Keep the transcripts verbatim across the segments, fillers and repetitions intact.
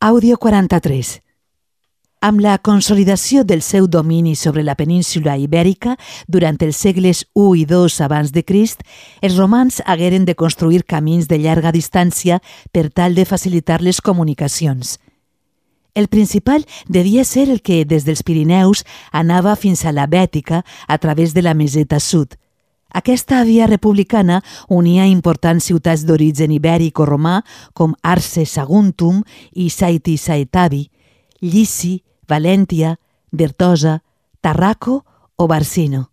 Àudio quaranta-tres. Amb la consolidació del seu domini sobre la península ibèrica durant els segles u i dos abans de Crist, els romans hagueren de construir camins de llarga distància per tal de facilitar les comunicacions. El principal devia ser el que, des dels Pirineus, anava fins a la Bètica a través de la meseta sud. Aquesta via republicana unia importants ciutats d'origen ibèric o romà com Arce Saguntum i Saiti Saetavi, Llici, Valentia, Dertosa, Tarraco o Barsino.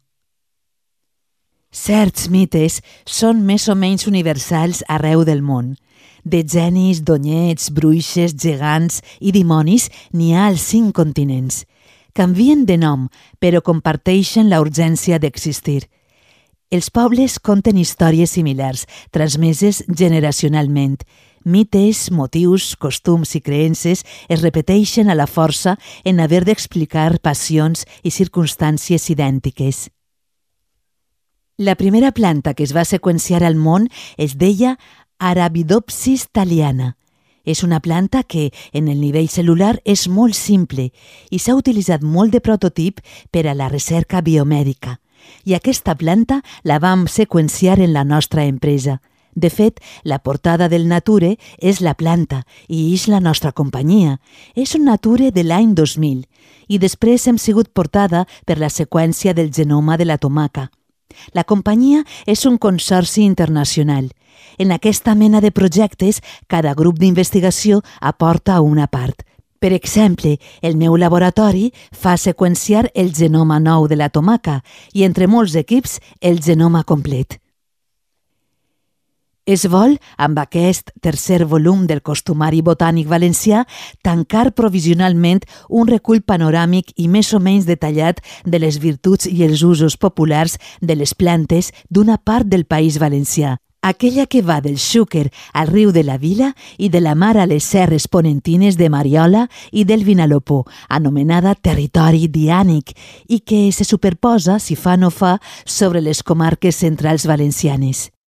Certs mites són més o menys universals arreu del món. De genis, donyets, bruixes, gegants i dimonis n'hi ha als cinc continents. Canvien de nom, però comparteixen la urgència d'existir. Els pobles conten històries similars, transmeses generacionalment. Mites, motius, costums i creences es repeteixen a la força en haver d'explicar passions i circumstàncies idèntiques. La primera planta que es va seqüenciar al món es deia Arabidopsis thaliana. És una planta que, en el nivell cel·lular, és molt simple i s'ha utilitzat molt de prototip per a la recerca biomèdica. I aquesta planta la vam seqüenciar en la nostra empresa. De fet, la portada del Nature és la planta i és la nostra companyia. És un Nature de l'any dos mil i després hem sigut portada per la seqüència del genoma de la tomaca. La companyia és un consorci internacional. En aquesta mena de projectes, cada grup d'investigació aporta una part. Per exemple, el meu laboratori fa seqüenciar el genoma nou de la tomaca i, entre molts equips, el genoma complet. Es vol, amb aquest tercer volum del Costumari Botànic Valencià, tancar provisionalment un recull panoràmic i més o menys detallat de les virtuts i els usos populars de les plantes d'una part del País Valencià, aquella que va del Xúquer al riu de la Vila i de la mar a les serres ponentines de Mariola i del Vinalopó, anomenada Territori Diànic, i que se superposa, si fa no fa, sobre les comarques centrals valencianes.